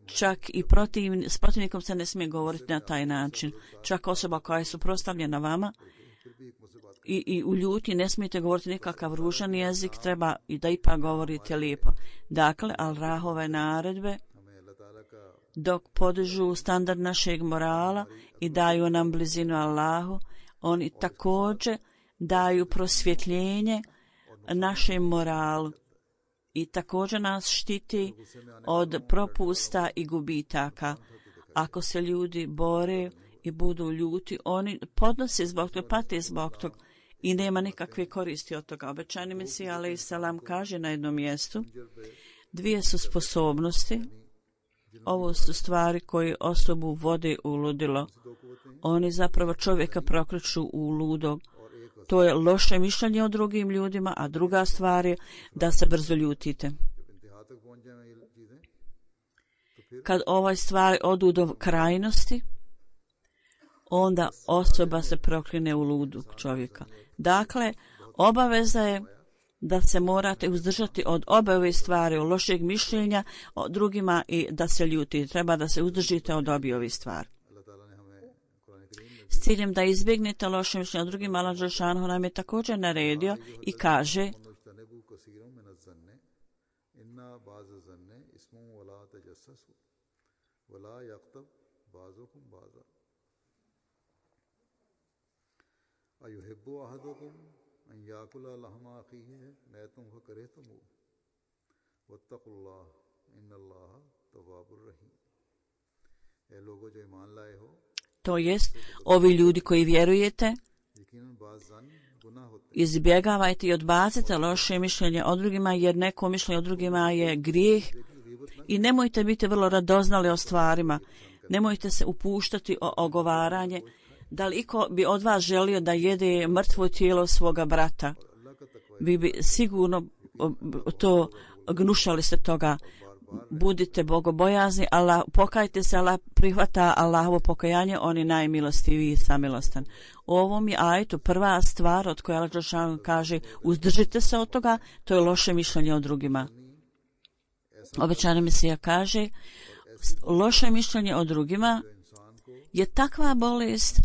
Čak i protiv, s protivnikom se ne smije govoriti na taj način. Čak osoba koja je suprotstavljena vama i, i u ljutnji ne smijete govoriti nikakav ružan jezik, treba i da ipak govorite lijepo. Dakle, Allahove naredbe, dok podižu standard našeg morala i daju nam blizinu Allahu, oni također daju prosvjetljenje našem moralu i također nas štiti od propusta i gubitaka. Ako se ljudi bore i budu ljuti, oni podnose zbog toga, pate zbog toga i nema nikakve koristi od toga. Obećani Mesija alejhi selam kaže na jednom mjestu, dvije su sposobnosti, ovo su stvari koje osobu vode u ludilo. Oni zapravo čovjeka prokreću u ludog. To je loše mišljenje o drugim ljudima, a druga stvar je da se brzo ljutite. Kad ovaj stvari odu do krajnosti, onda osoba se prokline u ludog čovjeka. Dakle, obaveza je da se morate uzdržati od obe ove stvari, od lošeg mišljenja o drugima i da se ljuti. Treba da se uzdržite od obje ove stvari. S ciljem da izbjegnete loše mišljenje o drugima, Allah dželešanu nam je također naredio i kaže to jest, ovi ljudi koji vjerujete, izbjegavajte i odbacite loše mišljenje o drugima, jer neko mišljenje o drugima je grijeh i nemojte biti vrlo radoznali o stvarima. Nemojte se upuštati o ogovaranje. Da li iko bi od vas želio da jede mrtvo tijelo svoga brata? Vi bi sigurno to gnušali se toga. Budite bogobojazni, Allah, pokajte se, Allah prihvata Allahovo pokajanje, on je najmilostiviji i samilostan. U ovom je ajetu prva stvar od koje Allah dželešanu kaže uzdržite se od toga, to je loše mišljenje o drugima. Obećani Mesija kaže loše mišljenje o drugima je takva bolest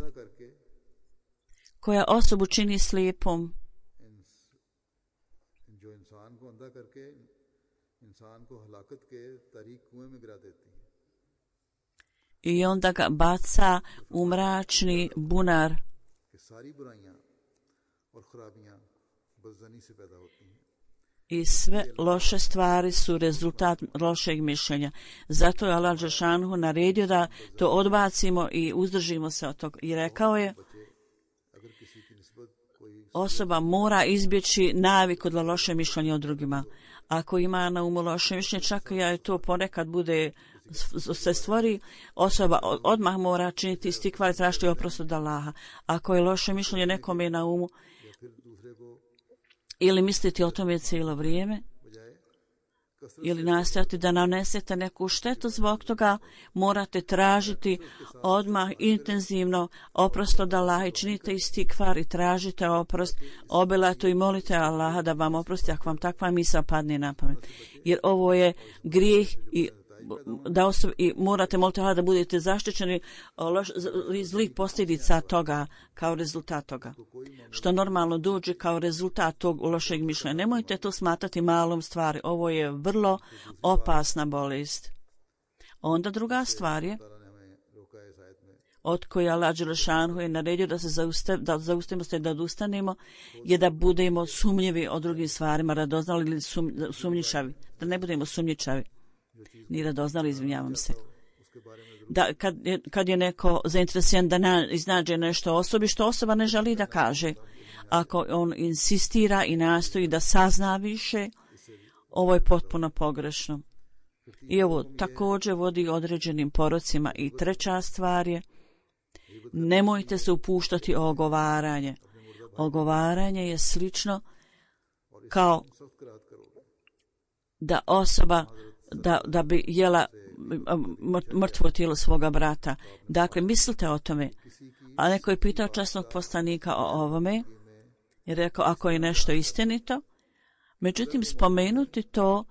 koja osobu čini slijepom. I onda ga baca u mračni bunar. I sve loše stvari su rezultat lošeg mišljenja. Zato je Allah dželešanu naredio da to odbacimo i uzdržimo se od toga. I rekao je, osoba mora izbjeći naviku od loše mišljenja o drugima. Ako ima na umu loše mišljenje, čak i to ponekad bude se stvori, osoba odmah mora činiti istikvar i tražiti oprost od Allaha. Ako je loše mišljenje nekome na umu, ili misliti o tome cijelo vrijeme, ili nastojati da nanesete neku štetu zbog toga, morate tražiti odmah intenzivno oprost od Allaha i činite istikvar i tražite oprost obilato i molite Allaha da vam oprosti ako vam takva misao padne na pamet. Jer ovo je grijeh i da osob, i morate moliti Allaha da budete zaštićeni iz zlih posljedica toga kao rezultat toga. Što normalno dođe kao rezultat tog lošeg mišljenja. Nemojte to smatrati malom stvari. Ovo je vrlo opasna bolest. Onda druga stvar je od koje Allah Đelešanu je naredio da se zaustavimo, da zaustavimo se, da odustanemo, je da budemo sumnjivi o drugim stvarima, radoznali ili sum, sumnjičavi. Da ne budemo sumnjičavi. Ni radoznali, izvinjavam se. Da, kad, je, kad je neko zainteresiran da na, iznađe nešto osobi što osoba ne želi da kaže, ako on insistira i nastoji da sazna više, ovo je potpuno pogrešno. I ovo također vodi određenim porocima. I treća stvar je, nemojte se upuštati o ogovaranje. Ogovaranje je slično kao da osoba Da, da bi jela mrtvo tijelo svoga brata. Dakle, mislite o tome. A neko je pitao časnog poslanika o ovome i rekao ako je nešto istinito. Međutim, spomenuti to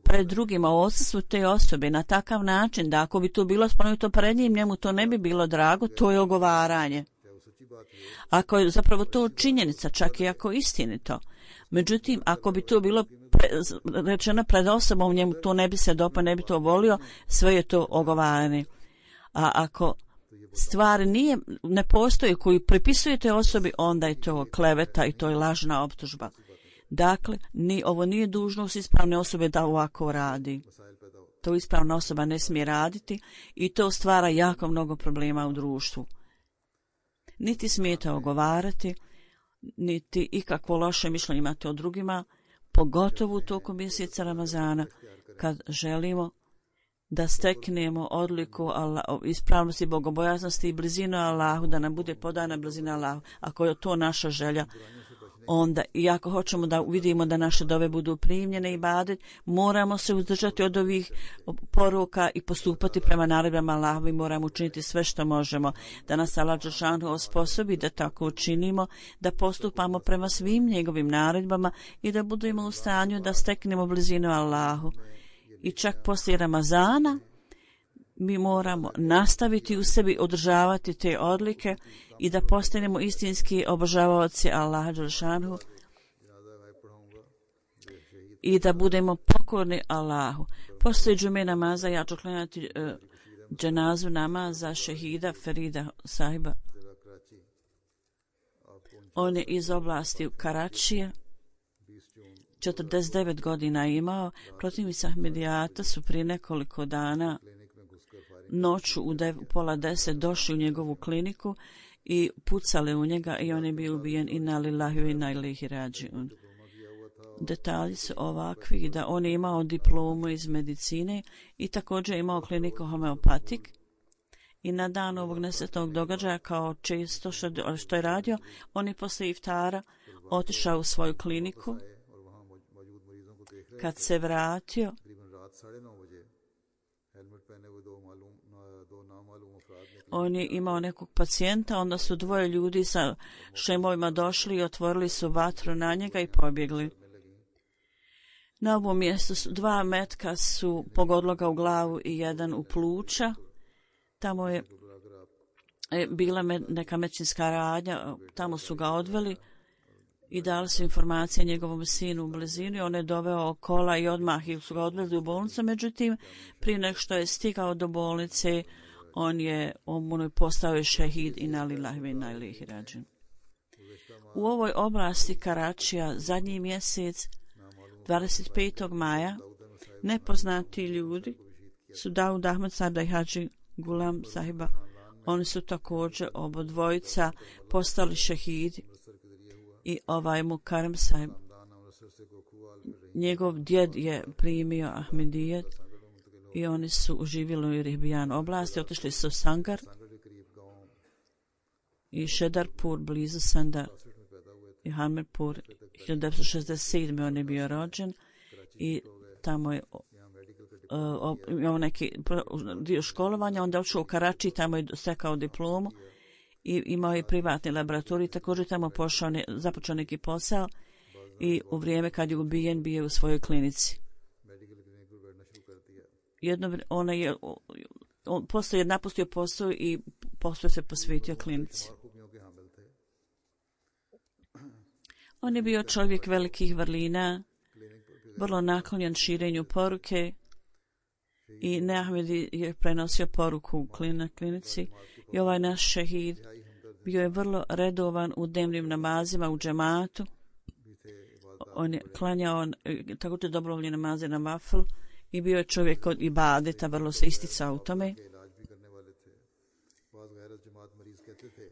pred drugima u odsustvu te osobe na takav način da ako bi to bilo spomenuto pred njim, njemu to ne bi bilo drago, to je ogovaranje. Ako je zapravo to činjenica, čak i ako je istinito. Međutim, ako bi to bilo pre, rečeno pred osobom, njemu to ne bi se dopao, ne bi to volio, sve je to ogovaranje. A ako stvar nije, ne postoji koju pripisujete osobi, onda je to kleveta i to je lažna optužba. Dakle, ni, ovo nije dužnost ispravne osobe da ovako radi. To ispravna osoba ne smije raditi i to stvara jako mnogo problema u društvu. Niti smijete ogovarati, niti ikakvo loše mišljenje imate o drugima, pogotovo u toku mjeseca Ramazana, kad želimo da steknemo odliku Allah, ispravnosti, bogobojaznosti i blizinu Allahu, da nam bude podana blizina Allahu. Ako je to naša želja, onda i ako hoćemo da vidimo da naše dove budu primljene i ibadet, moramo se uzdržati od ovih poruka i postupati prema naredbama Allahovi. Moramo učiniti sve što možemo da nas Allah dželešanu osposobi da tako učinimo, da postupamo prema svim njegovim naredbama i da budemo u stanju da steknemo blizinu Allahu. I čak poslije Ramazana mi moramo nastaviti u sebi održavati te odlike i da postanemo istinski obožavaoci Allaha dželešanu i da budemo pokorni Allahu. Poslije džume namaza ja ću klanjati uh, dženazu namaza šehida Ferida sahiba. On je iz oblasti Karačije, četrdeset devet godina imao. Protivnici Ahmedijata su prije nekoliko dana noću u dev, pola deset došli u njegovu kliniku i pucali u njega i on je bio ubijen. Inna lillahi wa inna ilaihi rađiun. Detalji su ovakvi da on je imao diplomu iz medicine i također imao kliniku homeopatik. I na dan ovog nesretnog događaja, kao često što, što je radio, on je posle iftara otišao u svoju kliniku. Kad se vratio, on je imao nekog pacijenta, onda su dvoje ljudi sa šemovima došli i otvorili su vatru na njega i pobjegli. Na ovom mjestu su, dva metka su pogodila ga u glavu i jedan u pluća. Tamo je, je bila med, neka medicinska radnja, tamo su ga odveli i dali su informacije njegovom sinu u blizini. On je doveo kola i odmah su ga odveli u bolnicu. Međutim, prije nego što je stigao do bolnice, on je on postao je šehid inna lillahi wa inna ilaihi rađiun. U ovoj oblasti Karačija zadnji mjesec, dvadeset petog maja, nepoznati ljudi su Daud Ahmed Sada i Hadži Gulam sahiba. Oni su također obodvojica postali šehidi. I ovaj Mukarem sahib, njegov djed je primio Ahmedijet i oni su uživjeli u Rihbijan oblasti, otišli su u Sangar i Šedarpur blizu Sandar Hamirpur, hiljadu devetsto šezdeset sedme on je bio rođen i tamo je uh, imao neki dio školovanja, onda otišao u Karači, tamo je stekao diplomu i imao je privatni laboratorij, također tamo pošao, ne, započeo neki posao i u vrijeme kad je ubijen bio je u svojoj klinici. Jedno, ona je, on postoje, napustio posao i posao se posvetio klinici. On je bio čovjek velikih vrlina, vrlo naklonjen širenju poruke i Ahmedi je prenosio poruku u klinici i ovaj naš šehid bio je vrlo redovan u dnevnim namazima u džematu. On je klanjao također dobrovoljne namaze na vafl i bio je čovjek od ibadeta, vrlo se isticao u tome.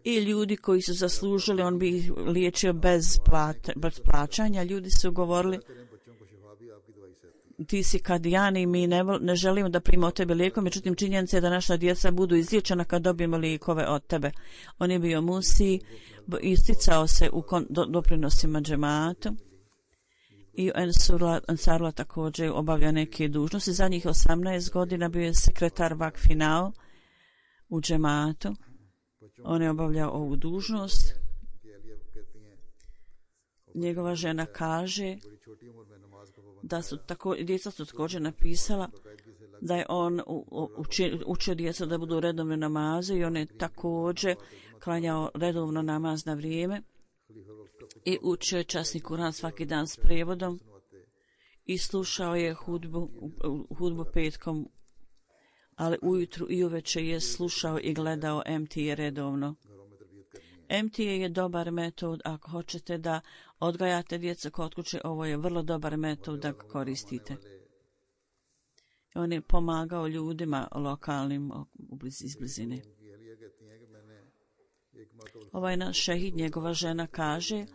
I ljudi koji su zaslužili, on bi ih liječio bez, plata, bez plaćanja. Ljudi su govorili, ti si kadijan i mi ne, ne želimo da primimo od tebe lijekove, međutim činjenica je da naša djeca budu izliječena kad dobijemo lijekove od tebe. On je bio musi, isticao se u kon, do, doprinosima džematu i Ansarula također obavlja neke dužnosti. Zadnjih osamnaest godina bio je sekretar Vakfinao u džematu. On je obavljao ovu dužnost. Njegova žena kaže da su tako, djeca su također napisala da je on učio, učio djeca da budu redovne namaze i on je također klanjao redovno namaz na vrijeme i učio je časni Kuran svaki dan s prevodom i slušao je hudbu, hudbu petkom, ali ujutru i uveče je slušao i gledao M T A redovno. M T A je dobar metod ako hoćete da odgajate djecu kod kuće, ovo je vrlo dobar metod da ga koristite. On je pomagao ljudima lokalnim iz blizine. Ovaj naš šehid, njegova žena kaže,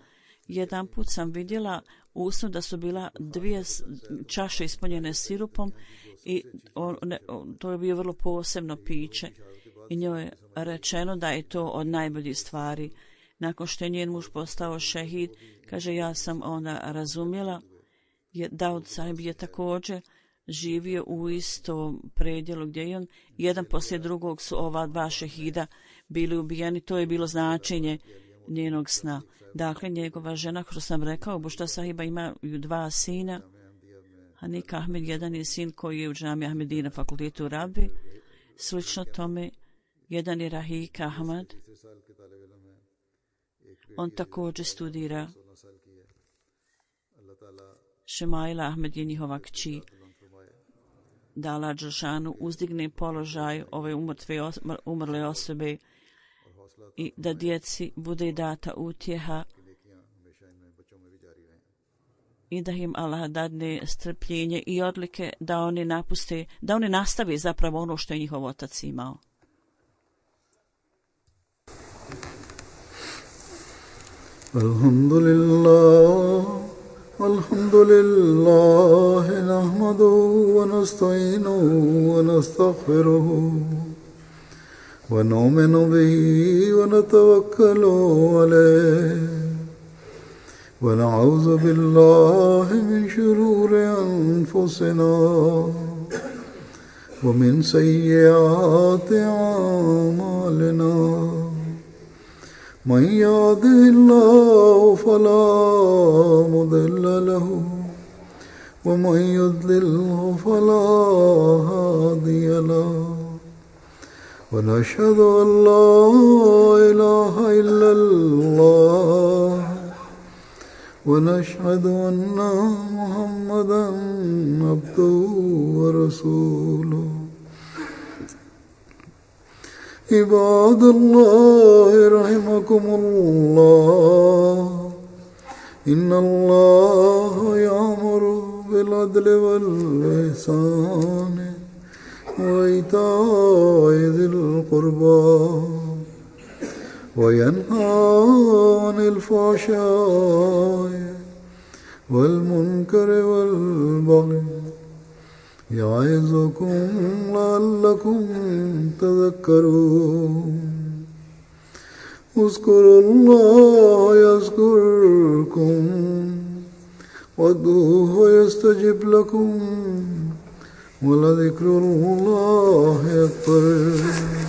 jedan put sam vidjela u snu da su bila dvije čaše ispunjene sirupom i on, ne, on, to je bio vrlo posebno piće i njoj je rečeno da je to od najboljih stvari. Nakon što je njen muž postao šehid, kaže, ja sam onda razumjela, je Daud Sahib je također živio u istom predjelu gdje je on. Jedan poslije drugog su ova dva šehida bili ubijeni, to je bilo značenje njenog sna. Dakle, njegova žena, što sam rekao, Bušta Sahiba ima dva sina. Hanik Ahmed, jedan je sin koji je u džami Ahmediji na fakultetu u Rabi. Slično tome, jedan je Rahik Ahmad. On također studira. Šemaila Ahmed je njihova kći. Da Allah Đelšanu uzdigne položaj ove umrtve, umrle osobe i da djeci bude data utjeha i da im Allah dadne strpljenje i odlike da oni napuste, da oni nastave zapravo ono što je njihov otac imao. Alhamdulillah, alhamdulillah, nahmaduhu wa nasta'inuhu wa nastaghfiruhu wa nu'minu bihi wa natawakkalu alayhi wa na'udhu billahi min shururi anfusina wa min sayyiati a'malina. من يهده الله فلا مضل له ومن يضلل فلا هادي له ونشهد أن لا إله إلا الله ونشهد أن محمدا عبده ورسوله. عباد الله رحمكم الله إن الله يأمر بالعدل والإحسان وإيتاء ذي القربى وينهى عن الفحشاء والمنكر والبغي يعظكم لعلكم تذكرون اذكروا الله يذكركم وادعوه يستجب لكم ولذكر الله أكبر.